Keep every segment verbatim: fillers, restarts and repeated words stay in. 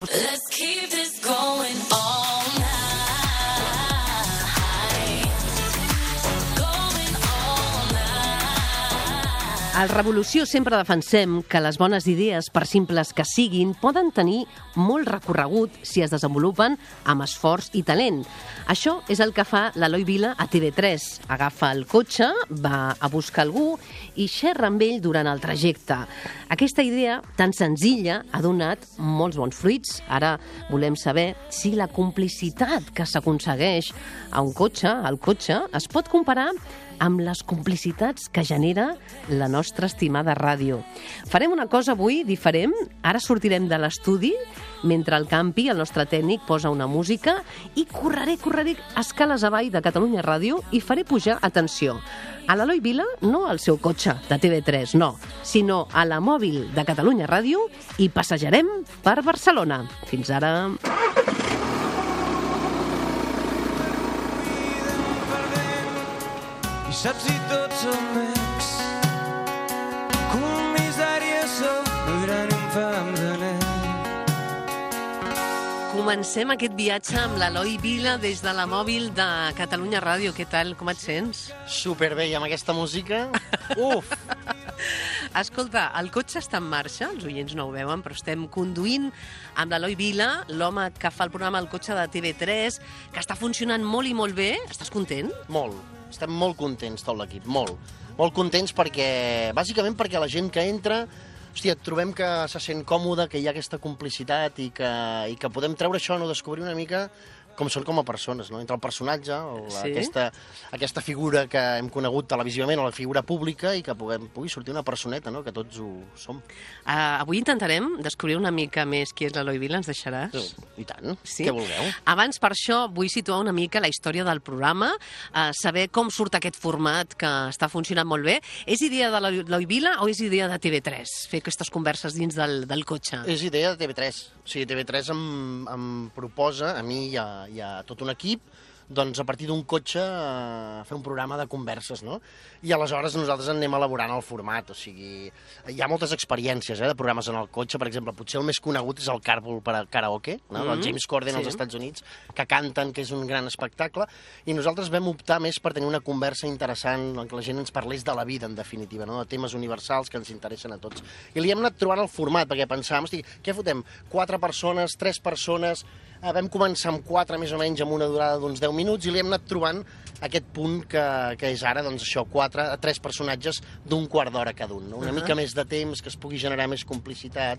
Let's keep this going all night. Going all night. Al Revolució sempre defensem que les bones idees, per simples que siguin, poden tenir molt recorregut si es desenvolupen amb esforç i talent. Això és el que fa l'Eloi Vila a T V tres. Agafa el cotxe, va a buscar algú i xerra amb ell durant el trajecte. Aquesta idea tan senzilla ha donat molts bons fruits. Ara volem saber si la complicitat que s'aconsegueix a un cotxe, al cotxe, es pot comparar amb les complicitats que genera la nostra estimada ràdio. Farem una cosa avui diferent. Ara sortirem de l'estudi mentre el Campi, el nostre tècnic, posa una música i correré, correré escales avall de Catalunya Ràdio i faré pujar, atenció, a l'Eloi Vila, no al seu cotxe de T V tres, no, sinó a la mòbil de Catalunya Ràdio i passejarem per Barcelona. Fins ara. I saps si tots som ex comissària sou el gran infam de nen. Comencem aquest viatge amb l'Eloi Vila des de la mòbil de Catalunya Ràdio. Què tal? Com et sents? Superbé, i amb aquesta música, uf! Escolta, el cotxe està en marxa, els oients no ho veuen, però estem conduint amb l'Eloi Vila, l'home que fa el programa El cotxe de T V tres, que està funcionant molt i molt bé. Estàs content? Molt. Estem molt contents, tot l'equip, molt. Molt contents perquè, bàsicament perquè la gent que entra, hòstia, trobem que se sent còmode, que hi ha aquesta complicitat i que, i que podem treure això, no, descobrir una mica com són com a persones, no? Entre el personatge, el, Sí? aquesta, aquesta figura que hem conegut televisivament, o la figura pública, i que puguem, pugui sortir una personeta, no? Que tots ho som. Uh, avui intentarem descobrir una mica més qui és l'Eloi Vila, ens deixaràs? Sí, I tant, Sí? què vulgueu? Abans, per això, vull situar una mica la història del programa, uh, saber com surt aquest format que està funcionant molt bé. És idea de l'Eloi Vila o és idea de T V tres, fer aquestes converses dins del, del cotxe? És idea de T V tres. O sigui, T V tres em, em proposa, a mi i a, i a tot un equip, doncs a partir d'un cotxe eh, fer un programa de converses, no? I aleshores nosaltres anem elaborant el format, o sigui, hi ha moltes experiències eh, de programes en el cotxe, per exemple, potser el més conegut és el Carpool per al Karaoke, no? Mm, El James Corden sí. als Estats Units, que canten, que és un gran espectacle, i nosaltres vam optar més per tenir una conversa interessant, en què la gent ens parlés de la vida, en definitiva, no? De temes universals que ens interessen a tots. I li hem anat trobant el format, perquè pensàvem, hosti, què fotem? Quatre persones, tres persones... Eh, vam començar amb quatre, més o menys, amb una durada d'uns deu minuts, i li hem anat trobant aquest punt que, que és ara, doncs això, quatre, tres personatges d'un quart d'hora cada un, no? Una uh -huh. mica més de temps, que es pugui generar més complicitat,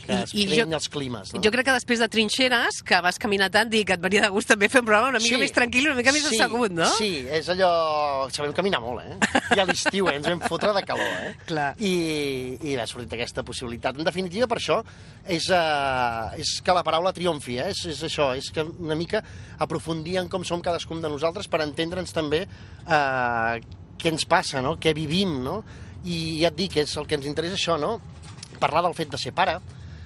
que I- es i creïn jo- els climes, no? Jo crec que després de Trinxeres, que vas caminar tant, dic que et venia de gust també fer un programa una mica Sí. més tranquil, una mica més Sí, assegut, no? Sí, és allò... Sabem caminar molt, eh? I a l'estiu, eh? Ens vam fotre de calor, eh? Clar. I, i ha sortit aquesta possibilitat. En definitiva, per això, és, uh, és que la paraula triomfi, eh? És, és això, és que una mica aprofundir en com som cadascun de nosaltres per entendre'ns també uh, què ens passa, no? Què vivim, no? I ja et dic, és el que ens interessa això, no? Parlar del fet de ser pare,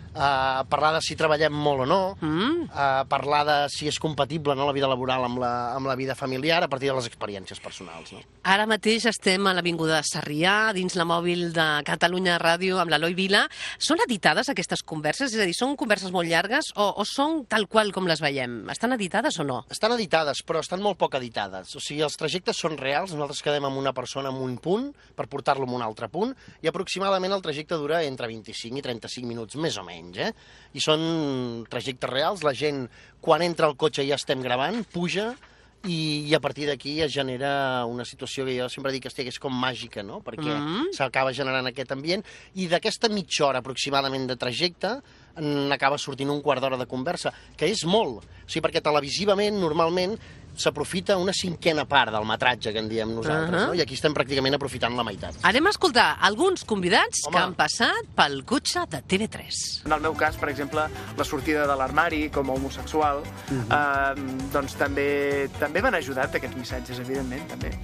Uh, parlar de si treballem molt o no, Mm. uh, parlar de si és compatible, no, la vida laboral amb la, amb la vida familiar a partir de les experiències personals. No? Ara mateix estem a l'Avinguda de Sarrià, dins la mòbil de Catalunya Ràdio, amb l'Eloi Vila. Són editades aquestes converses? És a dir, són converses molt llargues o, o són tal qual com les veiem? Estan editades o no? Estan editades, però estan molt poc editades. O sigui, els trajectes són reals, nosaltres quedem amb una persona en un punt per portar-lo a un altre punt, i aproximadament el trajecte dura entre vint-i-cinc i trenta-cinc minuts, més o menys. Eh? I són trajectes reals, la gent quan entra al cotxe ja estem gravant, puja, i, i a partir d'aquí es genera una situació que jo sempre dic que és com màgica, no? Perquè Mm. s'acaba generant aquest ambient, i d'aquesta mitja hora aproximadament de trajecte n'acaba sortint un quart d'hora de conversa, que és molt, o sigui, perquè televisivament normalment s'aprofita una cinquena part del metratge que en diem nosaltres, Uh-huh. no? I aquí estem pràcticament aprofitant la meitat. Anem a escoltar alguns convidats Home. que han passat pel cotxe de T V tres. En el meu cas, per exemple, la sortida de l'armari com a homosexual, eh, doncs també, també van ajudar aquests missatges, evidentment, també.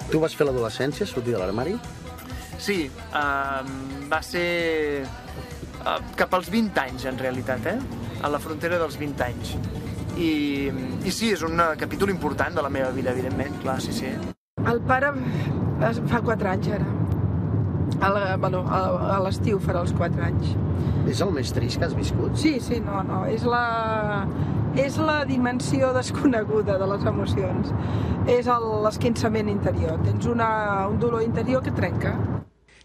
Tu vas fer l'adolescència, sortir de l'armari? Sí, eh, va ser eh, cap als vint anys, en realitat, eh? A la frontera dels vint anys. I, i sí, és un capítol important de la meva vida, evidentment, clar, sí, sí. El pare fa quatre anys, ara. A la- bueno, a- a l'estiu farà els quatre anys. És el més trist que has viscut? Sí, sí, no, no, és la, és la dimensió desconeguda de les emocions. És el- l'esquinçament interior. Tens una, un dolor interior que trenca.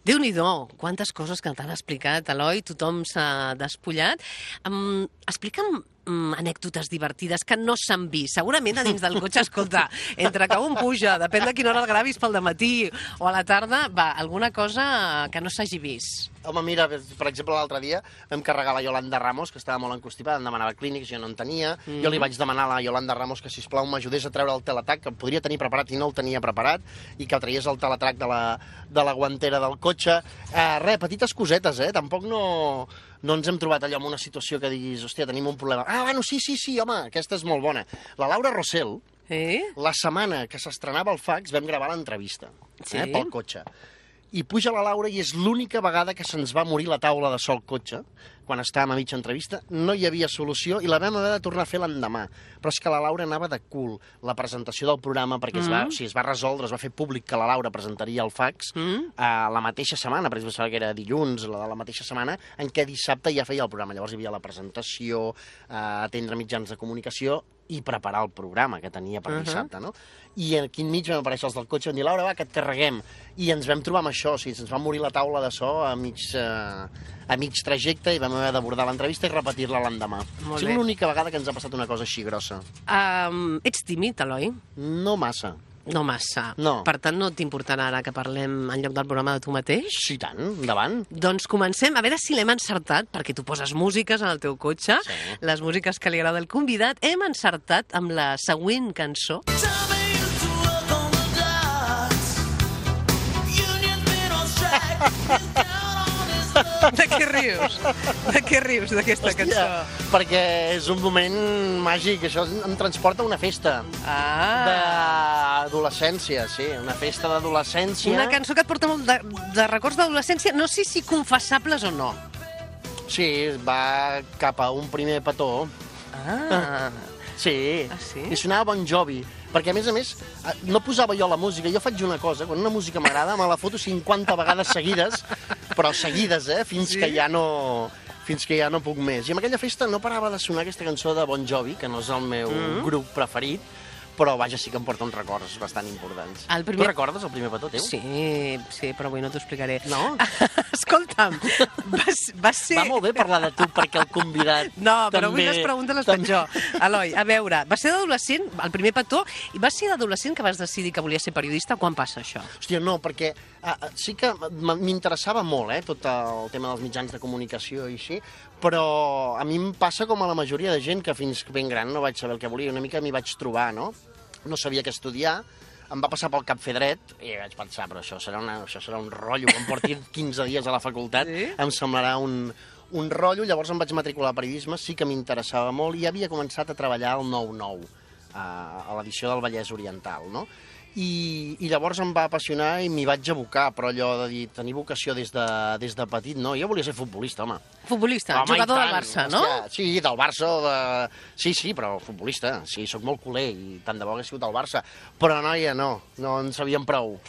Déu-n'hi-do, quantes coses que t'han explicat, Eloi, tothom s'ha despullat. Um, explica'm um, anècdotes divertides que no s'han vist. Segurament a dins del cotxe, escolta, entre que un puja, depèn de quina hora el gravis, pel dematí o a la tarda, va, alguna cosa que no s'hagi vist. Home, mira, per exemple, l'altre dia vam carregar la Yolanda Ramos, que estava molt encostipada, em demanava clínics, jo no en tenia. Mm. Jo li vaig demanar a la Yolanda Ramos que, sisplau, m'ajudés a treure el teletac, que em podria tenir preparat i no el tenia preparat, i que traies el teletac de la, de la guantera del cotxe. Eh, res, petites cosetes, eh? Tampoc no, no ens hem trobat allò en una situació que diguis, hòstia, tenim un problema. Ah, bueno, sí, sí, sí, home, aquesta és molt bona. La Laura Rossell, Eh? la setmana que s'estrenava el fax, vam gravar l'entrevista, Sí. eh, pel cotxe. I puja la Laura i és l'única vegada que se'ns va morir la taula de so al cotxe, quan estàvem a mitja entrevista, no hi havia solució i la vam haver de tornar a fer l'endemà. Però és que la Laura anava de cul. La presentació del programa, perquè es, va, o sigui, es va resoldre, es va fer públic que la Laura presentaria el fax Mm. a la mateixa setmana, per exemple, que era dilluns, la de la mateixa setmana, en què dissabte ja feia el programa. Llavors hi havia la presentació, eh, atendre mitjans de comunicació i preparar el programa que tenia per Uh-huh. dissabte, no? I aquí enmig vam aparèixer els del cotxe i vam dir, Laura, va, que et carreguem. I ens vam trobar amb això, o sigui, ens va morir la taula de so a mig, eh, a mig trajecte i vam haver d'abordar l'entrevista i repetir-la l'endemà. Molt Ha sigut bé. l'única vegada que ens ha passat una cosa així grossa. Um, ets tímid, Eloi? No massa. No massa. No. Per tant, no t'importarà ara que parlem en lloc del programa de tu mateix? Sí, tant, endavant. Doncs comencem, a veure si l'hem encertat, perquè tu poses músiques en el teu cotxe, Sí. les músiques que li agrada al convidat. Hem encertat amb la següent cançó. De què rius? De què rius, d'aquesta cançó? perquè és un moment màgic, això em transporta a una festa Ah! d'adolescència, sí, una festa d'adolescència. Una cançó que et porta molt de, de records d'adolescència, no sé si confessables o no. Sí, va cap a un primer petó. Ah! Sí, Ah, sí? i sonava Bon Jovi, perquè a més a més eh, no posava jo la música, jo faig una cosa, quan una música m'agrada me la foto cinquanta vegades seguides, però seguides, eh, fins Sí? que ja no fins que ja no puc més. I en aquella festa no parava de sonar aquesta cançó de Bon Jovi, que no és el meu Mm. grup preferit, però vaja, sí que em porta uns records bastant importants. El primer- Tu recordes el primer petó teu? Sí, sí, però avui no t'ho explicaré. No? Escolta'm, va, va ser... Va molt bé parlar de tu perquè el convidat No, però avui també- les preguntes les faig també- jo. Eloi, a veure, va ser d'adolescent, el primer petó, i va ser d'adolescent que vas decidir que volies ser periodista? Quan passa això? Hòstia, no, perquè ah, ah, sí que m- m'interessava molt, eh, tot el tema dels mitjans de comunicació i així, però a mi em passa com a la majoria de gent que fins ben gran no vaig saber el que volia, una mica m'hi vaig trobar, no? No sabia què estudiar, em va passar pel cap fer dret i vaig pensar, però això serà, una, això serà un rotllo, que em porti quinze dies a la facultat, Sí? em semblarà un, un rotllo, llavors em vaig matricular a periodisme, sí que m'interessava molt i havia començat a treballar al nou nou, a, a l'edició del Vallès Oriental, no? I, i llavors em va apassionar i m'hi vaig abocar, però allò de dir, tenir vocació des de, des de petit, no, jo volia ser futbolista, home. Futbolista, Home, jugador i del tant, Barça, no? hòstia, sí, del Barça, o de... sí, sí, però futbolista, sí, sóc molt culer i tant de bo hagués sigut del Barça, però noia, no, no en sabíem prou.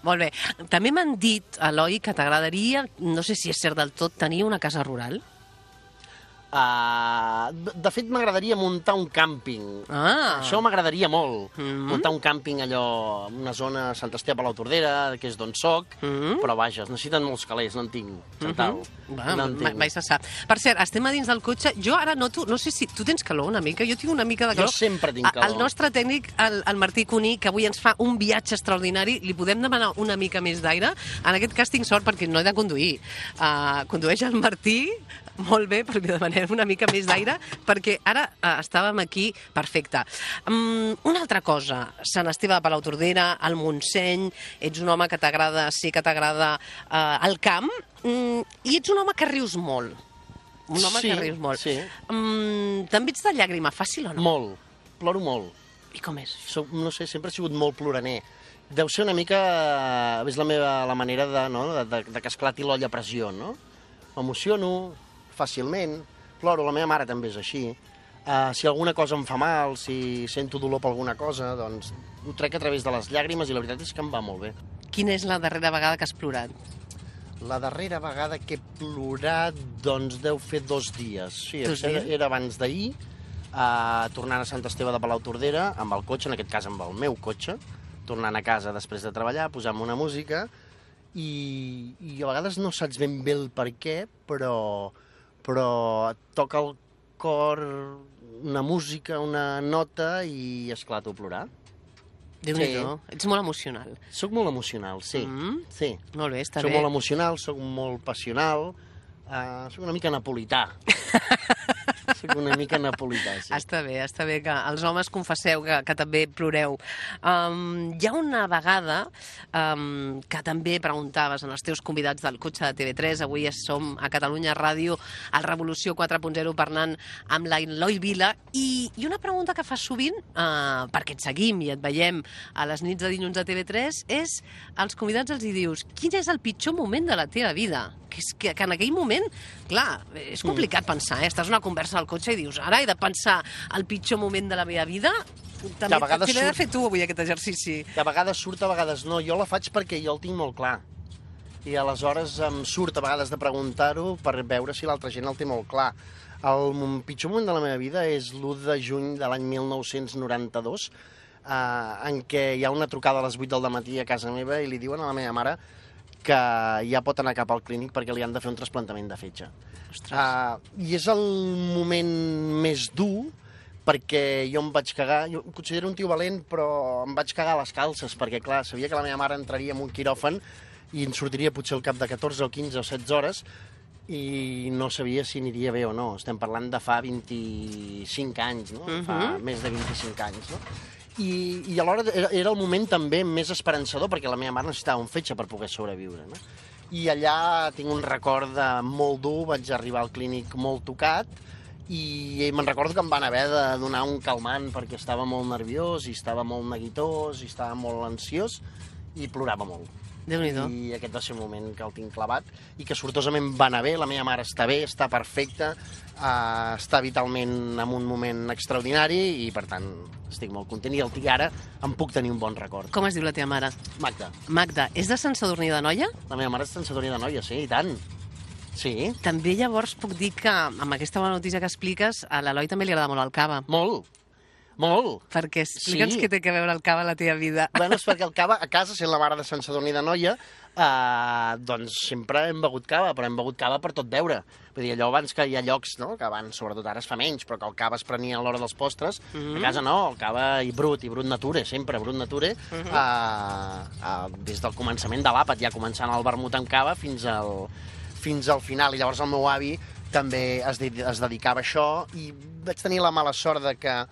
Molt bé. També m'han dit, Eloi, que t'agradaria, no sé si és cert del tot, tenir una casa rural. Uh, de, de fet, m'agradaria muntar un càmping. Ah. Això m'agradaria molt. Mhm. Muntar un càmping allò, en una zona a Sant Esteve a la Tordera, que és d'on soc, Mhm. però vaja, es necessiten molts calés, no en tinc, Chantal. Va, no en mai, tinc. mai se sap. Per cert, estem a dins del cotxe. Jo ara noto, no sé si tu tens calor una mica, jo tinc una mica de Jo calor. sempre tinc A- calor. El nostre tècnic, el, el Martí Cuní, que avui ens fa un viatge extraordinari, li podem demanar una mica més d'aire. En aquest cas tinc sort perquè no he de conduir. Uh, condueix el Martí, molt bé, però li demanem una mica més d'aire, perquè ara uh, estàvem aquí perfecte. Um, una altra cosa, Sant Esteve de Palautordera, el Montseny, ets un home que t'agrada, sí que t'agrada uh, el camp, um, i ets un home que rius molt. Un home Sí, que rius molt. sí. Um, També ets de llàgrima fàcil o no? Molt, ploro molt. I com és? Soc, no sé, sempre he sigut molt ploraner. Deu ser una mica... És la meva la manera de, no? de, de, de que esclati l'olla a pressió, no? M'emociono fàcilment, ploro, la meva mare també és així. Uh, si alguna cosa em fa mal, si sento dolor per alguna cosa, doncs ho trec a través de les llàgrimes i la veritat és que em va molt bé. Quina és la darrera vegada que has plorat? La darrera vegada que he plorat, doncs, deu fer dos dies. Sí, Dos era, dies? era abans d'ahir, uh, tornant a Sant Esteve de Palautordera, amb el cotxe, en aquest cas amb el meu cotxe, tornant a casa després de treballar, posant una música, i, i a vegades no saps ben bé el per què, però, però et toca el cor una música, una nota, i esclato a plorar. Déu-n'hi-do. Ets molt emocional. Soc molt emocional, sí. Mm. sí. Molt bé, està Soc bé. molt emocional, soc molt passional, uh, soc una mica napolità. Soc una mica napolità, sí. Està bé, està bé que els homes confesseu que, que també ploreu. Um, hi ha una vegada um, que també preguntaves en els teus convidats del cotxe de T V tres, avui som a Catalunya Ràdio, al Revolució quatre punt zero, parlant amb la Eloi Vila, i, i una pregunta que fas sovint, uh, perquè et seguim i et veiem a les nits de dilluns a T V tres, és als convidats els hi dius, quin és el pitjor moment de la teva vida? Que, és que, que en aquell moment, clar, és complicat pensar, eh? Estàs en una conversa al cotxe i dius, ara he de pensar el pitjor moment de la meva vida? També a vegades t'he de surt- fer tu avui aquest exercici. Que a vegades surt, a vegades no. Jo la faig perquè jo el tinc molt clar. I aleshores em surt a vegades de preguntar-ho per veure si l'altra gent el té molt clar. El m- pitjor moment de la meva vida és l'u de juny de l'any mil nou-cents noranta-dos, eh, en què hi ha una trucada a les vuit del dematí a casa meva i li diuen a la meva mare que ja pot anar cap al clínic perquè li han de fer un trasplantament de fetge. Uh, I és el moment més dur perquè jo em vaig cagar, jo em considero un tio valent, però em vaig cagar a les calces, perquè clar, sabia que la meva mare entraria en un quiròfan i en sortiria potser al cap de catorze o quinze o setze hores i no sabia si aniria bé o no. Estem parlant de fa vint-i-cinc anys, no? Uh -huh. Fa més de vint-i-cinc anys, no? I, i alhora era, era el moment també més esperançador perquè la meva mare necessitava un fetge per poder sobreviure, no? I allà tinc un record de molt dur, vaig arribar al clínic molt tocat i me'n recordo que em van haver de donar un calmant perquè estava molt nerviós i estava molt neguitós i estava molt ansiós i plorava molt. Déu-n'hi-do. I aquest va ser un moment que el tinc clavat i que sortosament va anar bé, la meva mare està bé, està perfecta, uh, està vitalment en un moment extraordinari i per tant estic molt content i el i ara em puc tenir un bon record. Com es diu la teva mare? Magda, Magda, és de Sant Sadurní d'Anoia? la meva mare és Sant Sadurní d'Anoia, sí, i tant. Sí, També llavors puc dir que amb aquesta bona notícia que expliques, a l'Eloi també li agrada molt el cava. molt, molt. Perquè explica'ns Sí. què té que veure el cava a la teva vida. Bueno, és perquè el cava, a casa, sent la mare de Sant Sadurní d'Anoia, eh, doncs sempre hem begut cava, però hem begut cava per tot veure. Vull dir, allò abans que hi ha llocs, no?, que abans, sobretot ara es fa menys, però que el cava es prenia a l'hora dels postres, mm -hmm. a casa no, el cava i brut, i brut nature, sempre brut nature, mm -hmm. eh, eh, des del començament de l'àpat, ja començant el vermut amb cava fins al, fins al final. I llavors el meu avi també es, de, es dedicava a això i vaig tenir la mala sort de que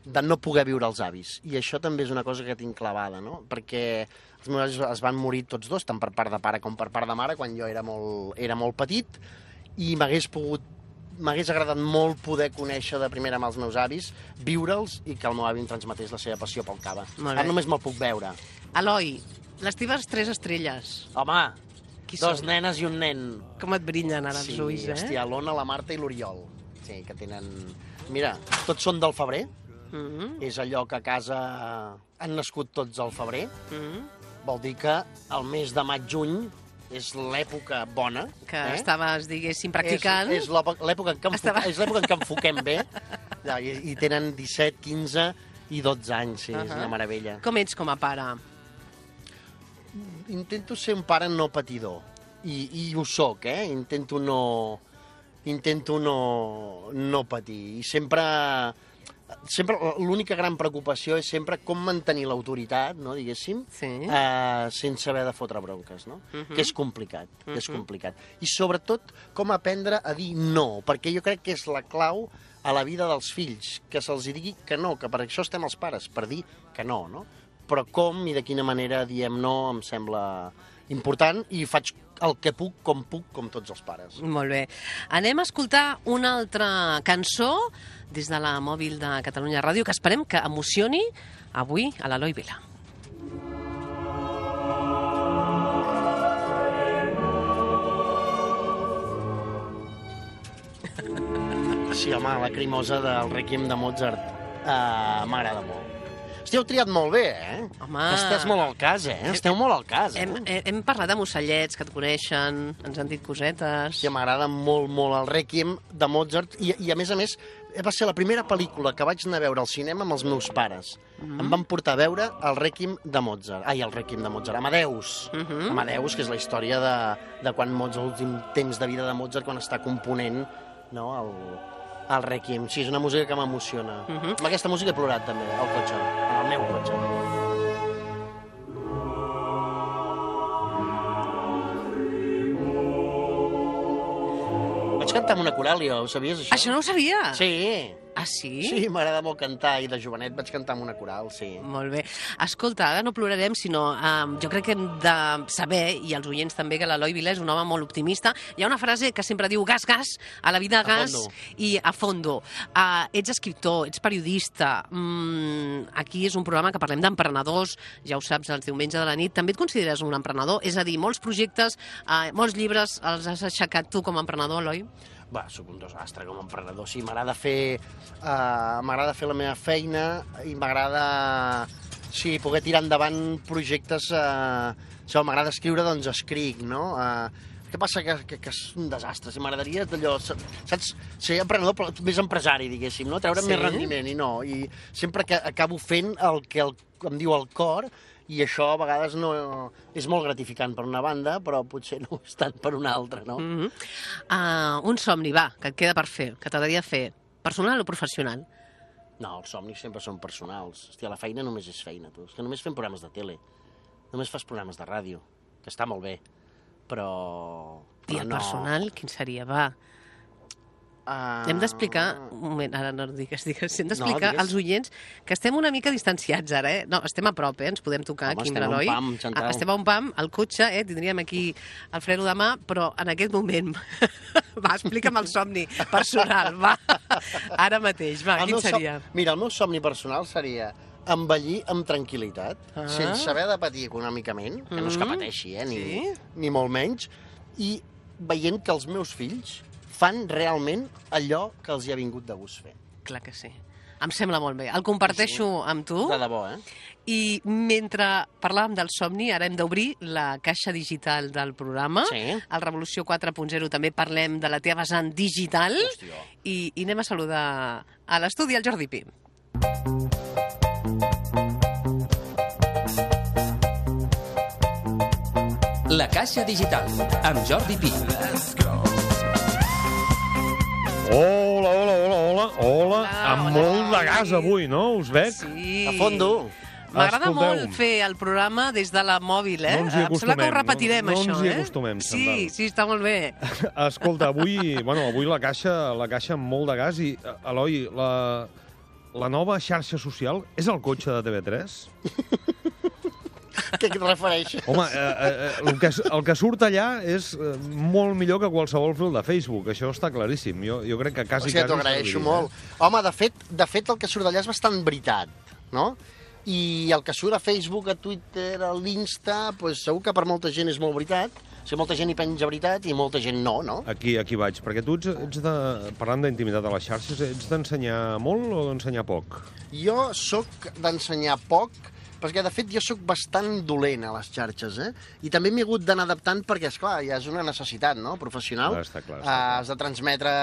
de no poder viure els avis. I això també és una cosa que tinc clavada, no? Perquè els meus avis es van morir tots dos, tant per part de pare com per part de mare, quan jo era molt, era molt petit, i m'hagués pogut m'hagués agradat molt poder conèixer de primera mà els meus avis, viure'ls i que el meu avi em transmetés la seva passió pel cava. Molt bé. Ara només me'l puc veure. Eloi, les teves tres estrelles, Home, Qui dos són? nenes i un nen. com et brillen ara Sí, els ulls, eh? hòstia, l'Ona, la Marta i l'Oriol. Sí, que tenen... Mira, tots són del febrer. Mm -hmm. És allò que a casa han nascut tots al febrer. Mm -hmm. Vol dir que el mes de maig-juny és l'època bona. Que eh? estaves, diguéssim, practicant. És, és l'època l'època en què Estava- enfoquem, és l'època en què enfoquem bé. Ja, i, I tenen disset, quinze i dotze anys, sí, uh -huh. és una meravella. Com ets com a pare? Intento ser un pare no patidor. I, i ho soc, eh? Intento no... Intento no, no patir. I sempre... sempre l'única gran preocupació és sempre com mantenir l'autoritat, no, diguéssim, Sí. eh, sense haver de fotre bronques, no? Uh -huh. Que és complicat, uh -huh. és complicat. I sobretot com aprendre a dir no, perquè jo crec que és la clau a la vida dels fills, que se'ls digui que no, que per això estem els pares, per dir que no, no? Però com i de quina manera diem no em sembla important i faig el que puc, com puc, com tots els pares. Molt bé. Anem a escoltar una altra cançó des de la mòbil de Catalunya Ràdio que esperem que emocioni avui a l'Eloi Vila. Sí, home, la crimosa del Requiem de Mozart uh, m'agrada molt. Hòstia, heu triat molt bé, eh? Home. Estàs molt al cas, eh? Esteu molt al cas, eh? Hem, hem, hem parlat amb ocellets que et coneixen, ens han dit cosetes... Hòstia, m'agrada molt, molt el Requiem de Mozart i, i a més a més, va ser la primera pel·lícula que vaig anar a veure al cinema amb els meus pares. Mm-hmm. Em van portar a veure el Requiem de Mozart. Ai, el Requiem de Mozart. Amadeus. Mm-hmm. Amadeus, que és la història de, de quan Mozart, l'últim temps de vida de Mozart, quan està component, no, el, el Requiem. Sí, és una música que m'emociona. Mm-hmm. Amb aquesta música he plorat, també, al cotxe, en el meu cotxe. Vaig cantar amb una coral, jo, ho sabies, això? Això no ho sabia? Sí. Ah, sí? Sí, m'agrada molt cantar i de jovenet vaig cantar amb una coral, sí. Molt bé. Escolta, ara no plorarem, sinó um, jo crec que hem de saber, i els oients també, que l'Eloi Vila és un home molt optimista. Hi ha una frase que sempre diu gas, gas, a la vida gas i a fondo. Uh, ets escriptor, ets periodista, mm, aquí és un programa que parlem d'emprenedors, ja ho saps, els diumenges de la nit. També et consideres un emprenedor? És a dir, molts projectes, uh, molts llibres els has aixecat tu com a emprenedor, Eloi? Va, soc un desastre com a emprenedor. Sí, m'agrada fer, uh, m'agrada fer la meva feina i m'agrada, sí, poder tirar endavant projectes. Uh, si m'agrada escriure, doncs escric, no? Uh, què passa? Que, que, que és un desastre. Si m'agradaria d'allò, saps, ser emprenedor, però més empresari, diguéssim, no? Treure'm Sí? més rendiment, i no. I sempre que acabo fent el que el, em diu el cor, i això a vegades no és molt gratificant per una banda, però potser no és tant per una altra, no? Mm -hmm. uh, un somni, va, que et queda per fer, que t'agradaria fer, personal o professional? No, els somnis sempre són personals. Hòstia, la feina només és feina, tu. És que només fem programes de tele. Només fas programes de ràdio, que està molt bé, però... I però el no. personal, quin seria, va? Uh... Hem d'explicar... Un moment, ara no digues, digues. Hem d'explicar No, als oients que estem una mica distanciats ara, eh? No, estem a prop, eh? Ens podem tocar Home, aquí amb estem a un l'Eloi. pam, Chantal. Ah, estem a un pam, al cotxe, eh? Tindríem aquí el freno de mà, però en aquest moment... va, explica'm el somni personal, va. Ara mateix, va, El quin meu som- seria? Mira, el meu somni personal seria envellir amb tranquil·litat, Ah. sense haver de patir econòmicament, que no és que Mm. pateixi, eh? Ni, Sí? ni molt menys, i veient que els meus fills fan realment allò que els hi ha vingut de gust fer. Clar que sí. Em sembla molt bé. El comparteixo amb tu. De debò, eh? I mentre parlàvem del somni, ara hem d'obrir la caixa digital del programa. Sí. Al Revolució quatre punt zero també parlem de la teva vessant digital. Hòstia. I, I anem a saludar a l'estudi el Jordi Pi. La Caixa Digital, amb Jordi Pi. Hola, hola, hola, hola, hola, amb hola. molt de gas avui, no? Us veig? Sí. A fondo. M'agrada Escolteu. molt fer el programa des de la mòbil, eh? No ens hi Em sembla que ho acostumem, repetirem, no- no això, ens hi eh? acostumem, Sí, Sandal. sí, està molt bé. Escolta, avui, bueno, avui la caixa, la caixa amb molt de gas i, Eloi, la, la nova xarxa social és el cotxe de T V tres? Què et refereixes? Home, eh, eh, el, que, el que surt allà és eh, molt millor que qualsevol fil de Facebook, això està claríssim. Jo, jo crec que quasi, Hòstia, quasi... t'ho agraeixo serviria, molt. Home, de fet, de fet, el que surt d'allà és bastant veritat, no? I el que surt a Facebook, a Twitter, a l'Insta, pues, segur que per molta gent és molt veritat. O sigui, molta gent hi penja veritat i molta gent no, no? Aquí, aquí vaig, perquè tu ets, ets de, parlant d'intimitat a les xarxes, ets d'ensenyar molt o d'ensenyar poc? Jo sóc d'ensenyar poc, perquè, de fet, jo sóc bastant dolent a les xarxes, eh? I també m'he hagut d'anar adaptant perquè, esclar, ja és una necessitat, no?, professional. Clar, està clar, està Eh, clar. has de transmetre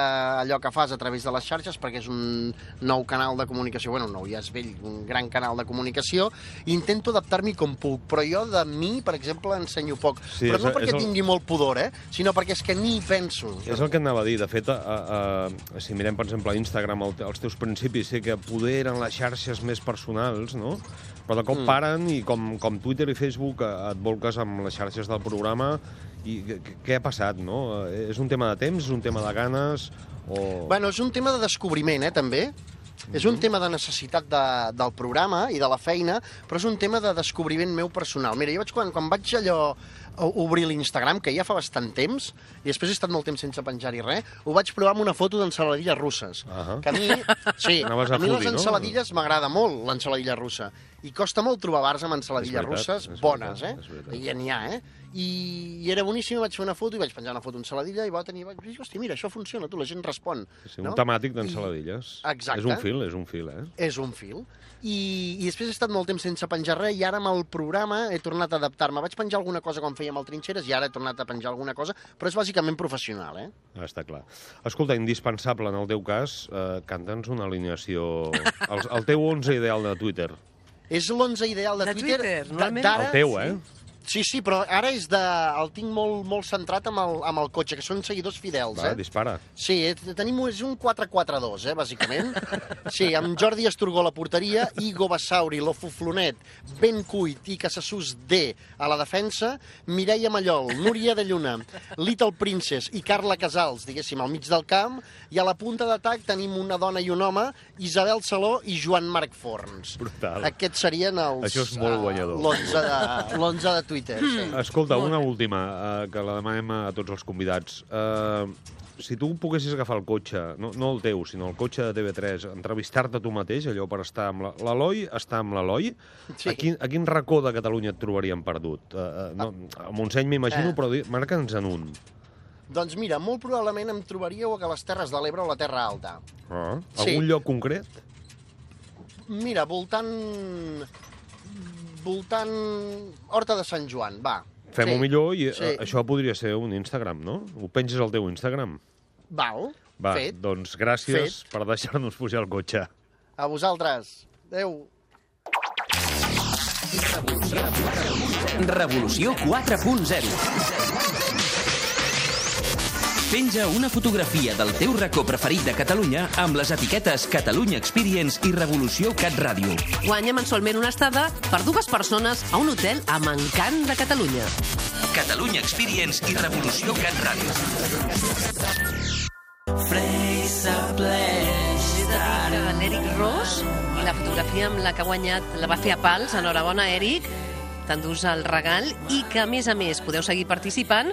allò que fas a través de les xarxes perquè és un nou canal de comunicació, bueno, nou, ja és vell, un gran canal de comunicació, i intento adaptar-m'hi com puc, però jo de mi, per exemple, ensenyo poc. Sí, però és- no perquè és el- tingui molt pudor, eh?, sinó perquè és que ni hi penso. És el que anava a dir. De fet, a, a, a, si mirem, per exemple, a Instagram, el, els teus principis, sé que poder eren les xarxes més personals, no? Però de cop mm. paren i com, com Twitter i Facebook eh, et volques amb les xarxes del programa i què, què ha passat, no? Eh, És un tema de temps, és un tema de ganes o... Bueno, és un tema de descobriment, eh, també. És un tema de necessitat de, del programa i de la feina, però és un tema de descobriment meu personal. Mira, jo vaig, quan, quan vaig allò obrir l'Instagram, que ja fa bastant temps, i després he estat molt temps sense penjar-hi res, ho vaig provar amb una foto d'ensaladilles russes. Uh -huh. Que a mi, sí, Anaves a a mi les foodie, no? ensaladilles m'agrada molt, l'ensaladilla russa. I costa molt trobar bars amb ensaladilles És veritat, russes és bones, veritat, eh? és veritat. I ja n'hi ha, eh? I, I era boníssim, vaig fer una foto i vaig penjar una foto d'ensaladilla i va tenir... Vaig dir, hòstia, mira, això funciona, tu, la gent respon. Sí, no? un temàtic d'ensaladilles. I... Exacte. És un fil, és un fil, eh? És un fil. I, I després he estat molt temps sense penjar res i ara amb el programa he tornat a adaptar-me. Vaig penjar alguna cosa quan fèiem el Trinxeres i ara he tornat a penjar alguna cosa, però és bàsicament professional, eh? Ah, està clar. Escolta, indispensable, en el teu cas, eh, canta'ns una alineació... El, el teu onze ideal de Twitter. És l'onze ideal de, De Twitter. Twitter, d- normalment. d'ara, El teu, eh? Sí, sí, però ara és de... el tinc molt, molt centrat amb el, amb el cotxe, que són seguidors fidels, Va, eh? dispara. Sí, eh, tenim és un quatre quatre dos, eh, bàsicament. Sí, amb Jordi Esturgó a la porteria, Igo Bassauri, Lofuflonet, Ben Cuit i Casassús D a la defensa, Mireia Mallol, Núria de Lluna, Little Princess i Carla Casals, diguéssim, al mig del camp, i a la punta d'atac tenim una dona i un home, Isabel Saló i Joan Marc Forns. Brutal. Aquests serien els... Això és molt guanyador. L'onze de, l'onze de Twitter, sí. Escolta, una última, eh, que la demanem a tots els convidats. Eh, si tu poguessis agafar el cotxe, no, no el teu, sinó el cotxe de T V tres, entrevistar-te tu mateix, allò per estar amb la- l'Eloi, estar amb l'Eloi, Sí. a, quin, a quin racó de Catalunya et trobaríem perdut? Eh, eh, no, a Montseny m'imagino, Eh. però di- marca'ns en un. Doncs mira, molt probablement em trobaríeu a les Terres de l'Ebre o a la Terra Alta. Ah, Sí. algun lloc concret? Mira, voltant... voltant... Horta de Sant Joan, va. Fem-ho Sí, millor i sí. eh, això podria ser un Instagram, no? Ho penges al teu Instagram. Val, Va, fet. doncs gràcies Fet. per deixar-nos pujar al cotxe. A vosaltres. Adéu. Revolució quatre punt zero. Penja una fotografia del teu racó preferit de Catalunya amb les etiquetes Catalunya Experience i Revolució Cat Ràdio. Guanya mensualment una estada per dues persones a un hotel amb encant de Catalunya. Catalunya Experience i Revolució Cat Ràdio. L'Eric Ros i la fotografia amb la que ha guanyat la va fer a pals. Enhorabona, Eric. T'endús el regal i que, a més a més, podeu seguir participant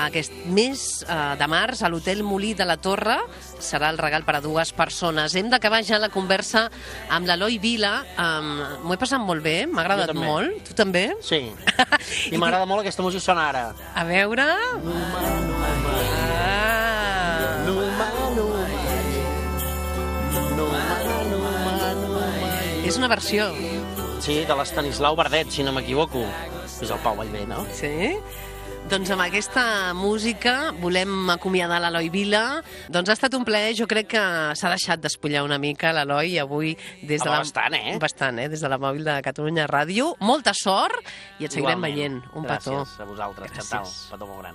aquest mes eh, de març a l'Hotel Molí de la Torre. Serà el regal per a dues persones. Hem d'acabar ja la conversa amb l'Eloi Vila. Um, M'ho he passat molt bé, m'ha agradat Jo també. molt. Tu també? Sí. I m'agrada molt aquesta música sona ara. A veure... Ah. Numa, numa, numa, numa, numa. És una versió. Sí, de l'Estanislau Verdet, si no m'equivoco. És el Pau Vallvé, no? Sí? Doncs amb aquesta música volem acomiadar l'Eloi Vila. Doncs ha estat un plaer, jo crec que s'ha deixat despullar una mica l'Eloi avui des de Home, la... bastant, eh? Bastant, eh? Des de la mòbil de Catalunya Ràdio. Molta sort i et seguirem Igualment. veient. Un petó. Gràcies a vosaltres, Gràcies. Chantal. Petó molt gran.